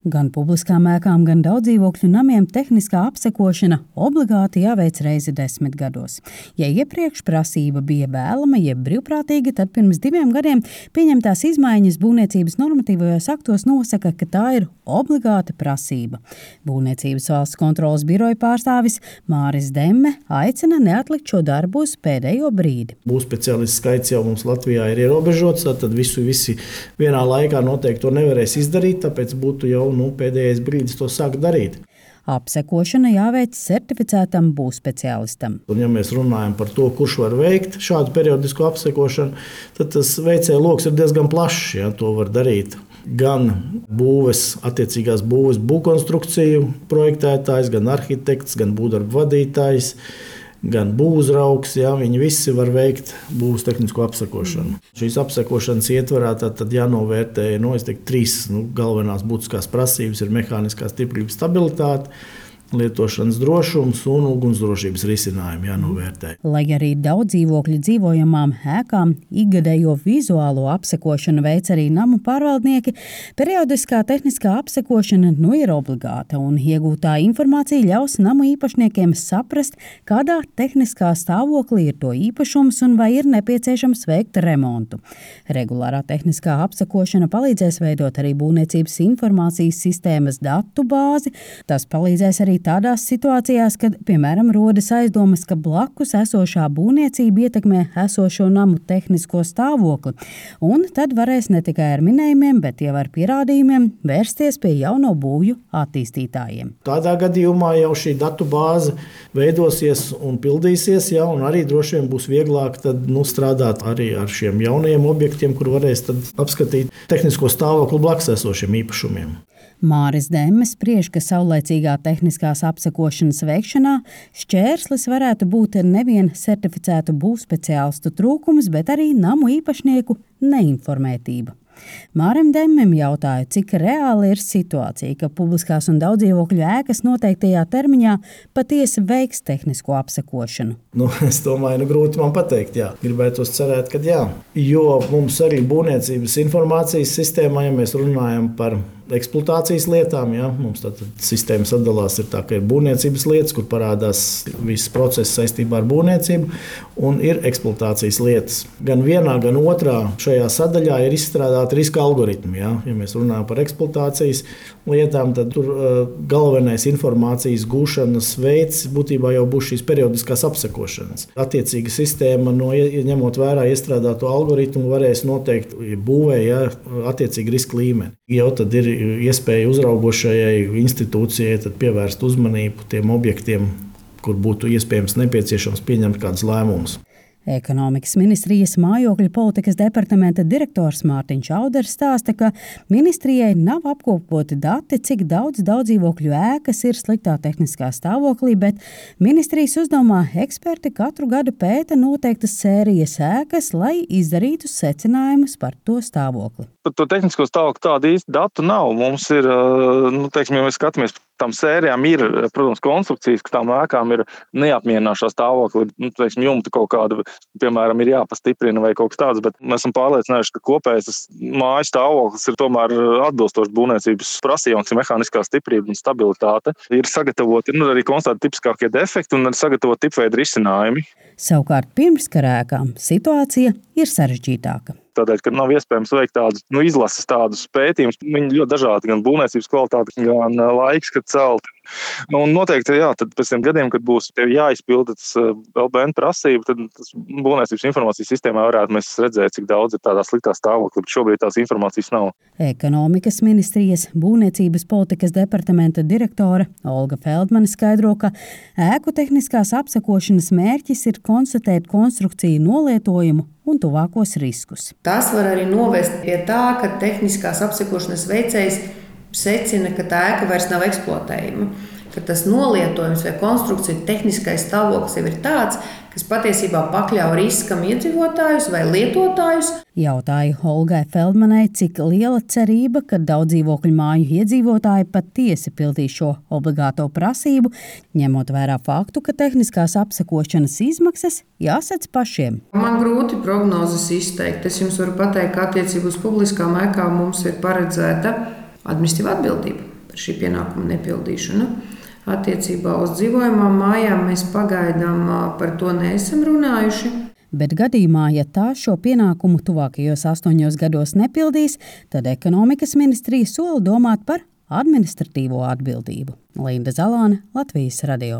Gan publiskām ēkām, gan daudzdzīvokļu namiem tehniskā apsekošana obligāti jāveic reizi 10 gados. Ja iepriekš prasība bija vēlama, jeb brīvprātīga, tad pirms 2 gadiem pieņemtās izmaiņas būvniecības normatīvajos aktos nosaka, ka tā ir obligāta prasība. Būvniecības valsts kontroles biroja pārstāvis Māris Demme aicina neatlikt šo darbu uz pēdējo brīdi. Būvspeciālistu skaits jau mums Latvijā ir ierobežots, tad visi vienā laikā noteikti to nevarēs izdarīt, tāpēc būtu jau pēdējais brīdis to sākt darīt. Apsekošana jāveic certificētam būvspeciālistam. Un, ja mēs runājam par to, kurš var veikt šādu periodisko apsekošanu, tad tas veicēju loks ir diezgan plašs. Ja, to var darīt gan attiecīgās būves būvkonstrukciju projektētājs, gan arhitekts, gan būvdarbu vadītājs, gan būvuzraugs, ja, viņi visi var veikt būvs tehnisko apsekošanu. Šīs apsekošanas ietvarā tad jānovērtē 3 galvenās būtiskās prasības ir mehāniskā stiprība, stabilitāte, lietošanas drošums un ugunsdrošības risinājumi jānovērtē. Lai arī daudz dzīvokļu dzīvojamām ēkām ikgadējo vizuālo apsekošanu veic arī namu pārvaldnieki, periodiskā tehniskā apsekošana ir obligāta un iegūtā informācija ļaus namu īpašniekiem saprast, kādā tehniskā stāvoklī ir to īpašums un vai ir nepieciešams veikt remontu. Regulārā tehniskā apsekošana palīdzēs veidot arī būvniecības informācijas sistēmas datu bāzi. Tas palīdzēs arī tādās situācijās, kad, piemēram, rodas aizdomas, ka blakus esošā būvniecība ietekmē esošo namu tehnisko stāvokli. Un tad varēs ne tikai ar minējumiem, bet jau ar pierādījumiem vērsties pie jauno būvju attīstītājiem. Tādā gadījumā jau šī datu bāze veidosies un pildīsies, ja, un arī droši vien būs vieglāk strādāt arī ar šiem jaunajiem objektiem, kur varēs apskatīt tehnisko stāvokli blakus esošiem īpašumiem. Māris Demme spriež, ka saulaicīgā tehniskās apsekošanas veikšanā šķērslis varētu būt nevien certificētu būvspeciālistu trūkums, bet arī namu īpašnieku neinformētība. Mārim Demmem jautāja, cik reāli ir situācija, ka publiskās un daudzdzīvokļu ēkas noteiktajā termiņā patiesi veiks tehnisko apsekošanu. Es domāju, grūti man pateikt, jā. Gribētos cerēt, ka jā. Jo mums arī būvniecības informācijas sistēmā, ja mēs runājam par eksploatācijas lietām, ja, mums tātad sistēma sadalās ir tā, ka ir būvniecības lietas, kur parādās viss process saistībā ar būvniecību, un ir eksploatācijas lietas. Gan vienā, gan otrā šajā sadaļā ir izstrādāti riska algoritmi. Ja. Ja mēs runājam par eksploatācijas lietām, tad tur galvenais informācijas gūšanas veids būtībā jau būs šīs periodiskās apsekošanas. Attiecīga sistēma, ņemot vērā iestrādāto algoritmu, varēs noteikt būvē attiecīgi riska līmeni. Jau tad ir iespēja uzraugošajai institūcijai pievērst uzmanību tiem objektiem, kur būtu iespējams nepieciešams pieņemt kādus lēmumus. Ekonomikas ministrijas mājokļu politikas departamenta direktors Mārtiņš Auders stāsta, ka ministrijai nav apkopoti dati, cik daudz daudzdzīvokļu ēkas ir sliktā tehniskā stāvoklī, bet ministrijas uzdevumā eksperti katru gadu pēta noteiktas sērijas ēkas, lai izdarītu secinājumus par to stāvokli. Par to tehnisko stāvokli tādu īsti datu nav. Mums ir, ja mēs skatāmies, tām sērijām ir, protams, konstrukcijas, ka tām ēkām ir neapmierinošā stāvokli, jumta kaut kāda, piemēram, ir jāpastiprina vai kaut kas tāds, bet mēs esam pārliecinājuši, ka kopējais tas mājas stāvoklis ir tomēr atbilstoši būvniecības prasījums, mehāniskā stiprība un stabilitāte. Ir sagatavoti, arī konstatēti tipiskākie defekti un sagatavoti tipveida risinājumi. Savukārt pirmskara ēkām situācija ir sarežģītāka. Tādēļ, ka nav iespējams veikt tādus izlases tādus pētījumus. Viņi ļoti dažādi, gan būvniecības kvalitāte, gan laiks, kad celt. Un noteikti, tad pēc tiem gadiem, kad būs jāizpilda tas LBN prasība, tad būvniecības informācijas sistēmā varētu mēs redzēt, cik daudz ir tādā sliktā stāvoklī, bet šobrīd tās informācijas nav. Ekonomikas ministrijas būvniecības politikas departamenta direktore Olga Feldmane skaidro, ka ēku tehniskās apsekošanas mērķis ir konstatēt konstrukciju nolietojumu un tuvākos riskus. Tas var arī novest pie tā, ka tehniskās apsekošanas veicējs secina, ka tā ēka vairs nav eksploatējama, ka tas nolietojums vai konstrukcija tehniskais stāvoklis jau ir tāds, kas patiesībā pakļauj riskam iedzīvotājus vai lietotājus. Jautāju Olgai Feldmanei, cik liela cerība, ka daudzdzīvokļu māju iedzīvotāji patiesi pildīs šo obligāto prasību, ņemot vērā faktu, ka tehniskās apsekošanas izmaksas jāsadz pašiem. Man grūti prognozes izteikt. Es jums varu pateikt, ka attiecībā uz publiskām ēkām mums ir paredzēta administratīva atbildība. par šī pienākuma nepildīšanu. Attiecībā uz dzīvojamām mājām mēs pagaidām par to neesam runājuši. Bet gadījumā, ja tā šo pienākumu tuvākajos 8 gados nepildīs, tad ekonomikas ministrija sola domāt par administratīvo atbildību. Linda Zalāne, Latvijas radio.